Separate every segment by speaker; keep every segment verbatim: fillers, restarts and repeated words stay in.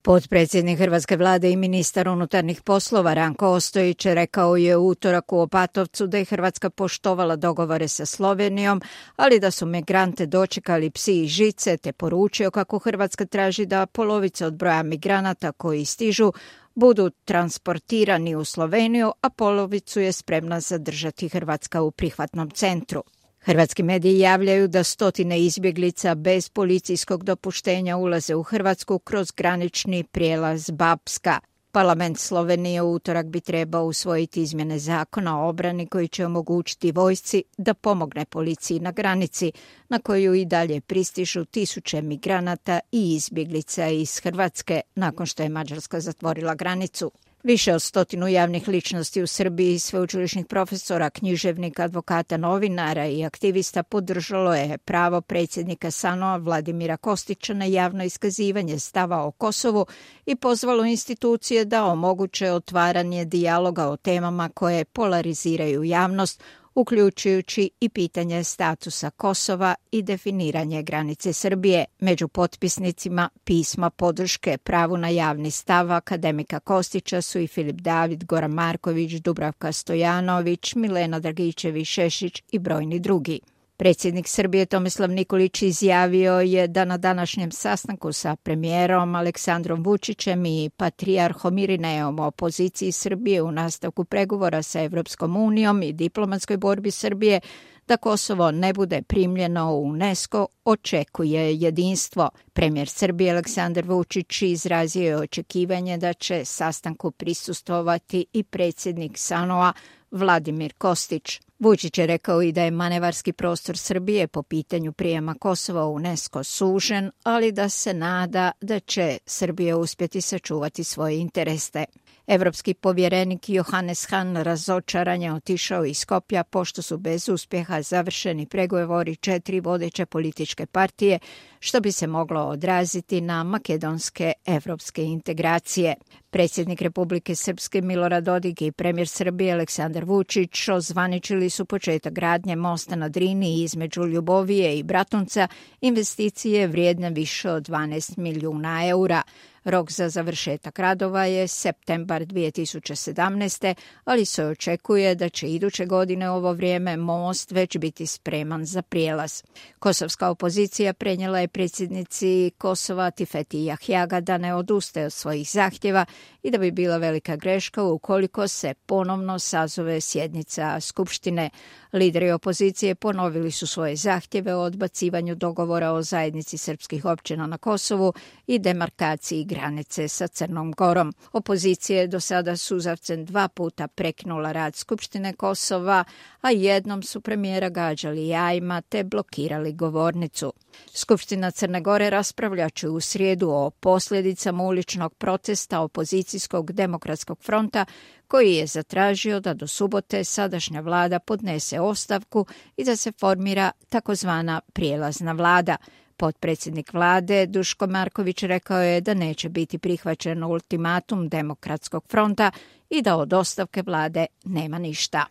Speaker 1: Potpredsjednik hrvatske vlade i ministar unutarnjih poslova Ranko Ostojić rekao je u utorak u Opatovcu da je Hrvatska poštovala dogovore sa Slovenijom, ali da su migrante dočekali psi i žice, te poručio kako Hrvatska traži da polovica od broja migranata koji stižu budu transportirani u Sloveniju, a polovicu je spremna zadržati Hrvatska u prihvatnom centru. Hrvatski mediji javljaju da stotine izbjeglica bez policijskog dopuštenja ulaze u Hrvatsku kroz granični prijelaz Bapska. Parlament Slovenije u utorak bi trebao usvojiti izmjene zakona o obrani koji će omogućiti vojsci da pomogne policiji na granici, na koju i dalje pristižu tisuće migranata i izbjeglica iz Hrvatske nakon što je Mađarska zatvorila granicu. Više od stotinu javnih ličnosti u Srbiji, sveučilišnih profesora, književnika, advokata, novinara i aktivista podržalo je pravo predsjednika S A N O-a Vladimira Kostića na javno iskazivanje stava o Kosovu i pozvalo institucije da omoguće otvaranje dijaloga o temama koje polariziraju javnost, uključujući i pitanje statusa Kosova i definiranje granice Srbije. Među potpisnicima pisma podrške pravu na javni stav akademika Kostića su i Filip David, Goran Marković, Dubravka Stojanović, Milena Dragičević-Šešić i brojni drugi. Predsjednik Srbije Tomislav Nikolić izjavio je da na današnjem sastanku sa premijerom Aleksandrom Vučićem i patrijarhom Irineom o poziciji Srbije u nastavku pregovora sa Evropskom unijom i diplomatskoj borbi Srbije da Kosovo ne bude primljeno u UNESCO očekuje jedinstvo. Premijer Srbije Aleksandar Vučić izrazio je očekivanje da će sastanku prisustvovati i predsjednik S A N O-a Vladimir Kostić. Vučić je rekao i da je manevarski prostor Srbije po pitanju prijema Kosova u UNESCO sužen, ali da se nada da će Srbija uspjeti sačuvati svoje interese. Evropski povjerenik Johannes Hahn razočaran je otišao iz Skopja pošto su bez uspjeha završeni pregovori četiri vodeće političke partije, što bi se moglo odraziti na makedonske evropske integracije. Predsjednik Republike Srpske Milorad Dodik i premijer Srbije Aleksandar Vučić ozvaničili su početak gradnje mosta na Drini između Ljubovije i Bratunca, investicije vrijedne više od dvanaest milijuna eura. Rok za završetak radova je septembar dvije tisuće sedamnaeste. ali se očekuje da će iduće godine u ovo vrijeme most već biti spreman za prijelaz. Kosovska opozicija prenijela je predsjednici Kosova Tifeti Jahjaga da ne odustaje od svojih zahtjeva i da bi bila velika greška ukoliko se ponovno sazove sjednica Skupštine. Lideri opozicije ponovili su svoje zahtjeve o odbacivanju dogovora o zajednici srpskih općina na Kosovu i demarkaciji granice sa Crnom Gorom. Opozicija je do sada suzavcem dva puta prekinula rad Skupštine Kosova, a jednom su premijera gađali jajima te blokirali govornicu. Skupština Crne Gore raspravljat će u srijedu o posljedicama uličnog protesta opozicijskog demokratskog fronta koji je zatražio da do subote sadašnja vlada podnese ostavku i da se formira takozvana prijelazna vlada. Potpredsjednik vlade Duško Marković rekao je da neće biti prihvaćen ultimatum demokratskog fronta i da od ostavke vlade nema ništa.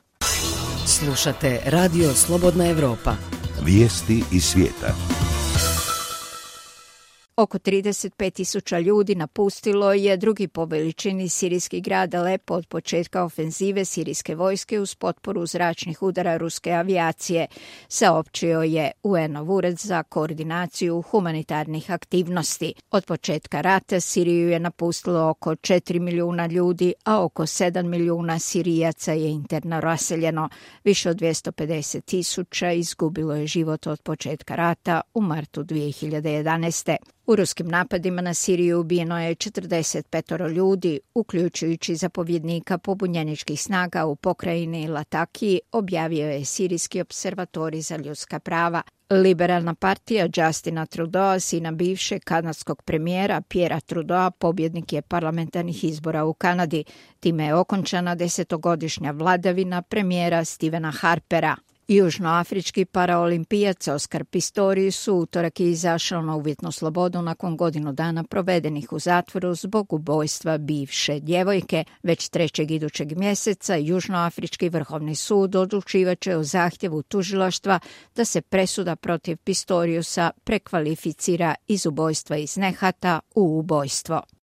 Speaker 2: Slušate Radio Slobodna Evropa.
Speaker 3: Vijesti iz svijeta.
Speaker 1: Oko trideset pet tisuća ljudi napustilo je drugi po veličini sirijski grad Alepo od početka ofenzive sirijske vojske uz potporu zračnih udara ruske avijacije, saopćio je U N-ov ured za koordinaciju humanitarnih aktivnosti. Od početka rata Siriju je napustilo oko četiri milijuna ljudi, a oko sedam milijuna Sirijaca je interno raseljeno. Više od dvjesto pedeset tisuća izgubilo je život od početka rata u martu dvije hiljade jedanaeste. U ruskim napadima na Siriju ubijeno je četrdeset pet ljudi, uključujući zapovjednika pobunjeničkih snaga u pokrajini Latakiji, objavio je Sirijski observatorij za ljudska prava. Liberalna partija Justina Trudeau, sina bivšeg kanadskog premijera Pierrea Trudeau, pobjednik je parlamentarnih izbora u Kanadi. Time je okončana desetogodišnja vladavina premijera Stephena Harpera. Južnoafrički paraolimpijac Oskar Pistorius u utorak je izašao na uvjetnu slobodu nakon godinu dana provedenih u zatvoru zbog ubojstva bivše djevojke. Već trećeg idućeg mjeseca Južnoafrički vrhovni sud odlučivat će o zahtjevu tužilaštva da se presuda protiv Pistoriusa prekvalificira iz ubojstva iz nehata u ubojstvo.